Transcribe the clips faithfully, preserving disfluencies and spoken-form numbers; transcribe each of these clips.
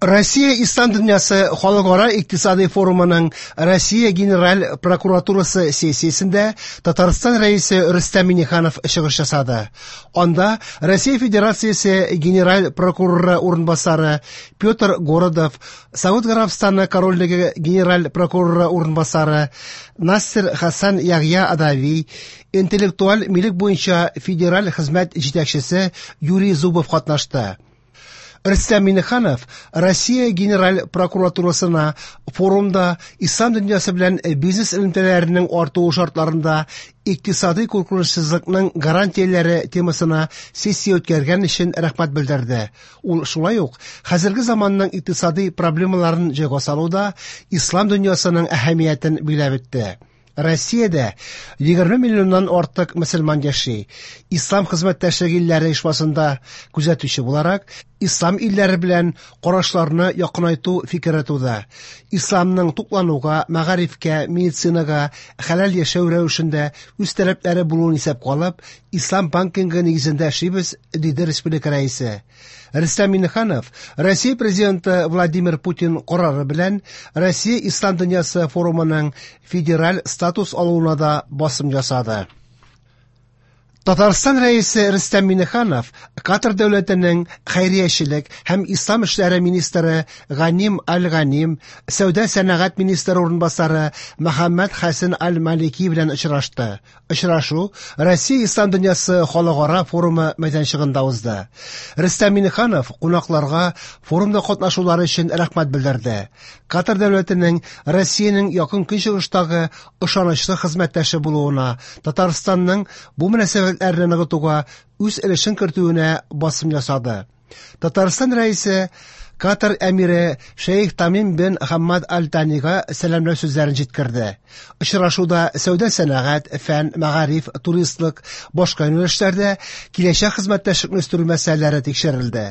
Россия Ислам дөньясы халыкара икътисади форумының Россия Генераль прокуратурасы сессиясендә Татарстан Рәисе Рөстәм Миңнеханов чыгыш ясады. Анда Россия Федерациясе Генераль прокуроры урынбасары Петр Городов, Сауд Гарәбстаны Корольлеге Генераль прокуроры урынбасары Нассер Хасан Ягъя Адави, интеллектуаль милек буенча федераль хезмәт җитәкчесе Юрий Зубов катнашты. Рөстәм Миңнеханов Россия Генераль прокуратурасына форумда ислам дөньясы белән бизнес элемтәләренең артуы шартларында икътисади куркынычсызлыкның гарантияләре темасына сессия үткәргән өчен рәхмәт белдерде. Ул шулай ук хәзерге заманның икътисади проблемаларын җайга салуда ислам дөньясының әһәмиятен билгеләп үтте. Россиядә егерме миллионнан артык мөселман яши. Ислам хезмәттәшлеге илләре оешмасында күзәтүче буларак, ислам илләре белән карашларны якынайту фикере туды. Исламның туклануга, мәгарифкә, медицинага, хәләл яшәү рәвешендә үз таләпләре булуын исәпкә алып, ислам банкингы нигезендә эшлибез, диде республика рәисе. Рөстәм Миңнеханов Россия президенты Владимир Путин карары белән Россия Ислам дөньясы форумының федераль статус алуына да басым ясады. Татарстан Рәисе Рөстәм Миңнеханов Катар дәүләтенең хәйриячелек һәм ислам эшләре министры Ганим Аль-Ганим, сәүдә сәнәгать министры урынбасары Мөхәммәд Хәсен Аль-Малики белән очрашты. Очрашу Россия Ислам дөньясы халыкара форумы мәйданчыгында узды. Рөстәм Миңнеханов кунакларга форумда катнашулары өчен рәхмәт белдерде. Катар дәүләтенең Россиянең якын көнчыгыштагы ышанычлы хезмәттәше булуына, Татарстанның бу мөнәсәбәтләрне ныгытуга үз өлешен кертүенә басым ясады. Татарстан Рәисе Катар әмире Шейх Тамим бен Хаммад Аль-Танига сәламләү сүзләрен җиткерде. Очрашуда сәүдә сәнәгать, фән, мәгариф, туристлык, башка юнәлешләрдә киләчәк хезмәттәшлекне үстерү мәсьәләләре тикшерелде.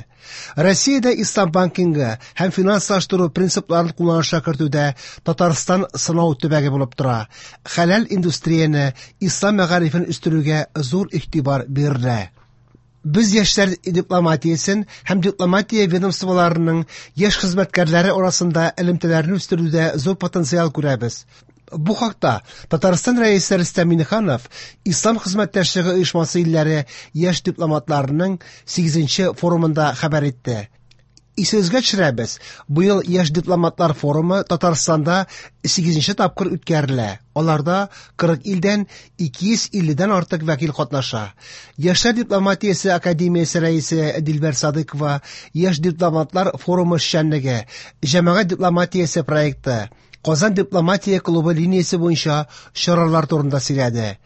Россиядә ислам банкингы һәм финанслаштыру принципларын кулланышка кертүдә Татарстан сынау төбәге булып тора. Хәләл индустрияне, ислам мәгарифен үстерүгә зур игътибар бирелә. Без яшьләр дипломатиясен һәм дипломатия ведомстволарының яшь хезмәткәрләре арасында элемтәләрне үстерүдә зур потенциал күрәбез. Бу хакта Татарстан Рәисе Рөстәм Миңнеханов Ислам хезмәттәшлеге оешмасы илләре яшь дипломатларының сигезенче форумында хәбәр итте. Исегезгә төшерәбез, быел яшь дипломатлар форумы Татарстанда сигезенче тапкыр үткәрелә. Аларда кырык илдән ике йөз илледән артык вәкил катнаша. Яшьләр дипломатиясе академиясе рәисе Дилбәр Садыкова яшь дипломатлар форумы эшчәнлеге, җәмәгать дипломатиясе проекты, Казан дипломатия клубы линиясе буенча чаралар турында сөйләде.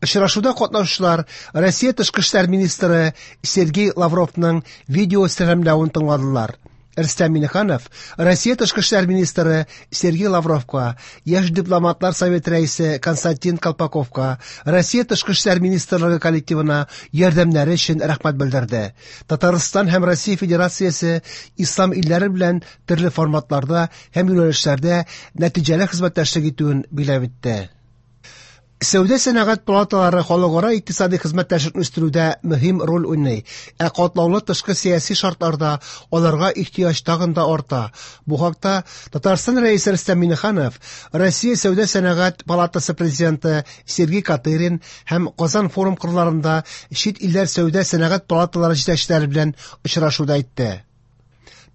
Очрашуда катнашучылар Россия тышкы эшләр министры Сергей Лавровның видео сәламләвен тыңладылар. Рөстәм Миңнеханов Россия тышкы эшләр министры Сергей Лавровка, яшь дипломатлар советы рәисе Константин Колпаковка, Россия тышкы эшләр министрлыгы коллективына ярдәмнәре өчен рәхмәт белдерде. Татарстан һәм Россия Федерациясе ислам илләре белән төрле форматларда һәм юнәлешләрдә нәтиҗәле хезмәттәшлек итүен билгеләп үтте. Сәүдә сәнәгать палаталары халыкара икътисади хезмәттәшлекне үстерүдә мөһим роль уйный, ә катлаулы тышкы сәяси шартларда аларга ихтыяҗ тагын да арта. Бу хакта Татарстан Рәисе Рөстәм Миңнеханов, Россия Сәүдә сәнәгать палатасы президенты Сергей Катырин һәм Казан форум кырларында чит илләр сәүдә сәнәгать палаталары җитәкчеләре белән очрашуда әйтте.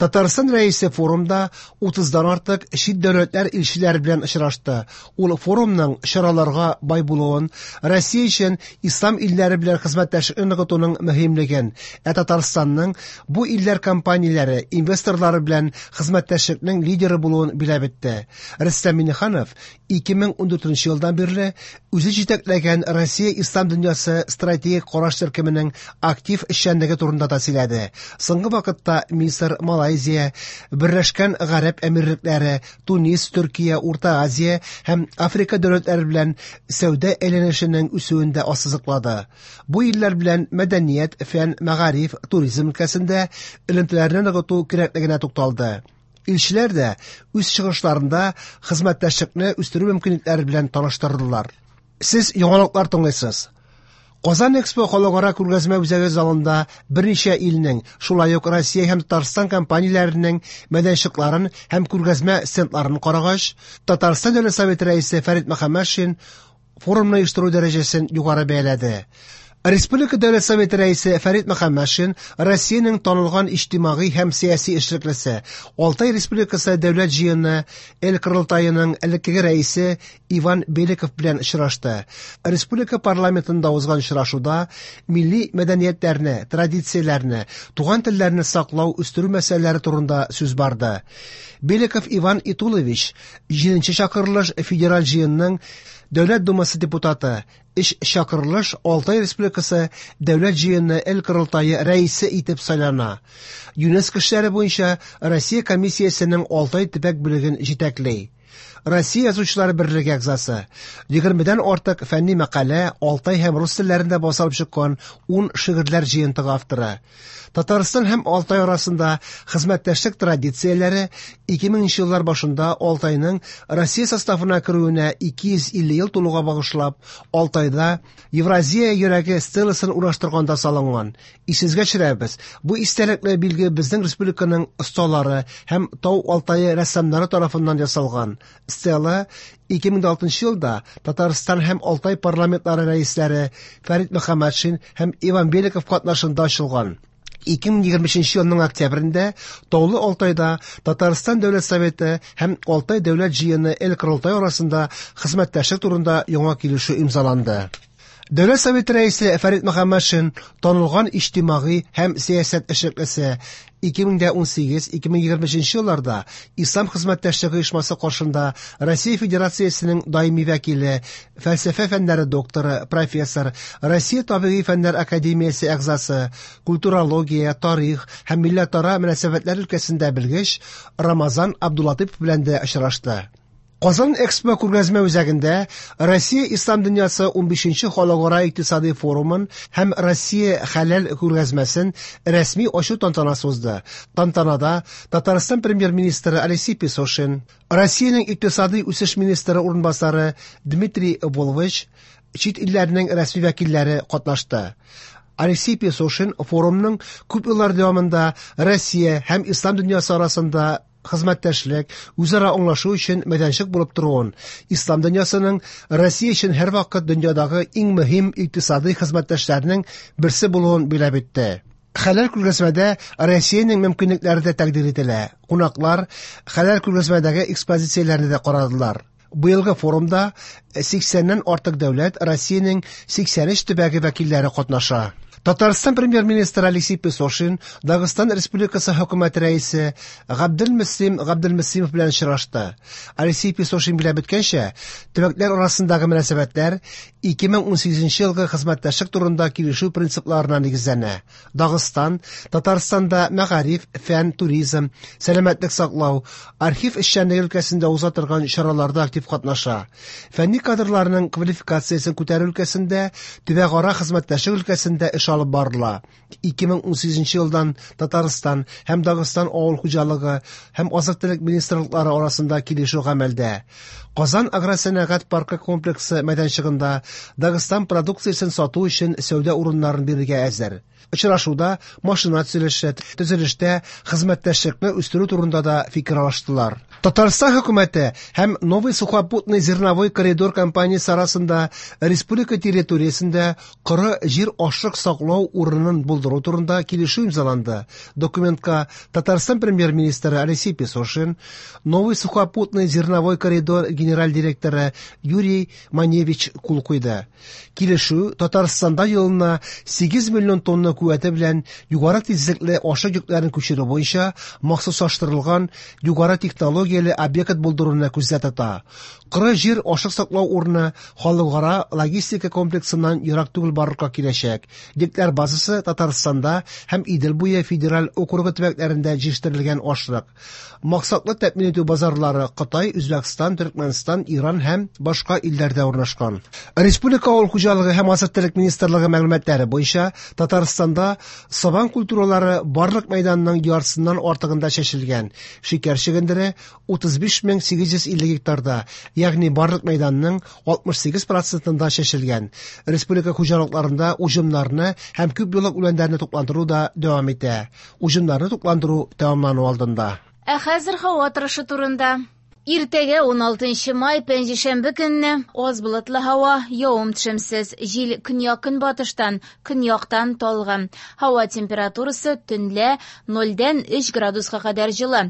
Татарстан Рәисе форумда утыздан артык чит дәүләтләр илчеләре белән очрашты. Ул форумның чараларга бай булуын, Россия өчен ислам илләре белән хезмәттәшлекне ныгытуның мөһимлеген, ә Татарстанның бу илләр компанияләре, инвесторлары белән хезмәттәшлекнең лидеры булуын билгеләп үтте. Рөстәм Миңнеханов ике мең ундүртенче елдан бирле үзе җитәкләгән Россия Ислам дөньясы стратегик караш төркеменең актив эшчәнлеге турында да сөйләде. Соңгы вакытта Мисыр, Малайзия, Берләшкән Гарәп Әмирлекләре, Тунис, Төркия, Урта Азия һәм Африка дәүләтләре белән сәүдә әйләнешенең үсүен дә ассызыклады. Бу илләр белән мәдәният, фән, мәгариф, туризм өлкәсендә элемтәләрне ныгыту кирәклегенә тукталды. Илчеләр дә үз чыгышларында хезмәттәшлекне үстерү мөмкинлекләре белән таныштырдылар. Сез яңалыклар тыңлыйсыз. Казан Экспо халыкара күргәзмә үзәге залында берничә илнең, шулай ук Россия һәм Татарстан компанияләренең мәйданчыкларын һәм күргәзмә стендларын карагач, Татарстан Дәүләт Советы рәисе Фәрит Мөхәммәтшин форумны оештыру дәрәҗәсен югары бәяләде. Республика Дәүләт Советы рәисе Фәрит Мөхәммәтшин Россиянең танылган иҗтимагый һәм сәяси эшлеклесе, Алтай Республикасы Дәүләт җыены Эл Корылтаеның элеккеге рәисе Иван Беликов белән очрашты. Республика парламентында узган очрашуда милли мәдәниятләрне, традицияләрне, туган телләрне саклау, үстерү мәсьәләләре турында сүз барды. Беликов Иван Итулович җиденче чакырылыш Федераль җыенның Дәүләт Думасы депутаты, өч чакырылыш Алтай Республикасы Дәүләт җыены Эл Корылтае рәисе итеп сайлана. ЮНЕСКО эшләре буенча Россия комиссиясенең Алтай төбәк бүлеген җитәкли. Россия Язучылар берлеге әгъзасы. Егермедән артык фәнни мәкалә Алтай һәм рус телләрендә басылып чыккан ун шигырьләр җыентыгы авторы. Татарстан һәм Алтай арасында хезмәттәшлек традицияләре ике меңенче еллар башында Алтайның Россия составына керүенә ике йөз илле ел тулуга багышлап, Алтайда Евразия йөрәге стеласын урнаштырганда салынган. Исегезгә төшерәбез, бу истәлекле билге безнең республиканың осталары һәм Тау Алтайы рәссамнары тарафыннан ясалган. Стела ике мең алтынчы елда Татарстан һәм Алтай парламентлары рәисләре Фәрит Мөхәммәтшин һәм Иван Беликов катнашында ачылган. Ике мең егерме өченче елның октябрендә Таулы Алтайда Татарстан Дәүләт Советы һәм Алтай Дәүләт Җыены Эл Корылтай арасында хезмәттәшлек турында яңа килешү имзаланды. Дәүләт Советы рәисе Фәрит Мөхәммәтшин танылган иҗтимагый һәм сәясәт эшлеклесе ике мең ун сигез ике мең егерме өченче елларда Ислам хезмәттәшлеге оешмасы каршында Россия Федерациясенең даими вәкиле, фәлсәфә фәннәре докторы, профессор, Россия табигый фәннәр академиясе әгъзасы, культурология, тарих һәм милләтара мөнәсәбәтләр өлкәсендә белгеч Рамазан Абдулатыпов белән дә очрашты. Казан Экспо күргәзмә үзәгендә Россия Ислам дөньясы унбишенче халыкара икътисади форумын һәм Россия хәләл күргәзмәсен рәсми ачу тантанасы узды. Тантанада Татарстан премьер-министры Алексей Песошин, Россиянең икътисади үсеш министры урынбасары Дмитрий Волович, чит илләрнең рәсми вәкилләре катнашты. Алексей Песошин форумның күп еллар дәвамында Россия һәм Ислам дөньясы арасында хезмәттәшлек, үзара аңлашу өчен мәйданчык булып торуын, Ислам дөньясының Россия өчен һәрвакыт дөньядагы иң мөһим икътисади хезмәттәшләрнең берсе булуын билгеләп үтте. Хәләл күргәзмәдә Россиянең мөмкинлекләре дә тәкъдир ителә. Кунаклар хәләл күргәзмәдәге экспозицияләрне дә карадылар. Быелгы форумда сиксәннән артык дәүләт Россиянең сиксән өч төбәге вәкилләре катнаша. Татарстан премьер-министры Алексей Песошин Дагыстан Республикасы хөкүмәте рәисе Габделмөслим Габделмөслимов белән очрашты. Алексей Песошин билгеләп үткәнчә, төбәкләр арасындагы мөнәсәбәтләр ике мең ун сигезенче елгы хезмәттәшлек турында килешү принципларына нигезләнә. Дагыстан, Татарстанда мәгариф, фән, туризм, сәламәтлек саклау, архив эшчәнлеге өлкәсендә уза торган чараларда актив катнаша. Фәнни кадрларның квалификациясен күтәрү өлкәсендә, төбәкара хезмәттәшлек өлкәсендә эш алып барыла. Ике мең ун сигезенче елдан Татарстан һәм Дагыстан авыл хуҗалыгы һәм азык-төлек министрлыклары арасында килешү гамәлдә. Казан агросәнәгать паркы комплексы мәйданчыгында Дагыстан продукциясен сату өчен сәүдә урыннарын бирергә әзер. Очрашуда машина төзелеше, төзелештә хезмәттәшлекне үстерү турында да фикер алыштылар. Татарстан хөкүмәте һәм Новый сухопутный зерновой коридор компаниясе арасында республика территориясендә коры җир ашлык саклау урынын булдыру турында килешү имзаланды. Документка Татарстан премьер-министры Алексей Песошин, Новый сухопутный зерновой коридор генераль директоры Юрий Маневич кул куйды. Килешү Татарстанда елына сигез миллион тонна куәте белән югары тизлекле ашлык йөкләрен күчерү буенча махсуслаштырылган югары технологияле объект булдыруны күздә тота. Коры җир ашлык саклау урыны халыкара логистика комплексыннан ерак түгел барлыкка киләчәк. Йөкләр базасы Татарстанда һәм Идел буе федераль округы төбәкләрендә җитештерелгән ашлык. Максатлы тәэмин итү базарлары Кытай, Үзбәкстан, Төркмәнстан, Иран һәм башка илләрдә урнашкан. Республика авыл хуҗалыгы һәм азык-төлек министрлыгы мәгълүматлары буенча Татарстанда сабан культуралары барлык мәйданның яртысыннан артыгында чәчелгән. Шикәр чөгендере утыз биш мең сигез йөз илле гектарда, ягъни барлык мәйданның алтмыш сигез процентында чәчелгән. Республика хуҗалыкларында уҗымнарны һәм күп еллык үләннәрне тукландыру да дәвам итә. Уҗымнарны тукландыру тәмамлану алдында. Ә хәзер һава торышы турында. Иртәгә уналтынчы май, пәнҗешәмбе көнне аз болытлы һава, явым-төшемсез. Җил көньяк-көнбатыштан, көньяктан талгын. Һава температурасы төнлә нольдән өч градуска кадәр җылы.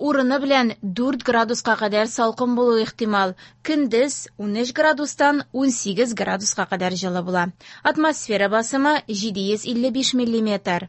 Урыны белән дүрт градуска кадәр салкын булуы ихтимал. Көндез унөч градустан унсигез градуска кадәр җылы була. Атмосфера басымы җиде йөз илле биш миллиметр.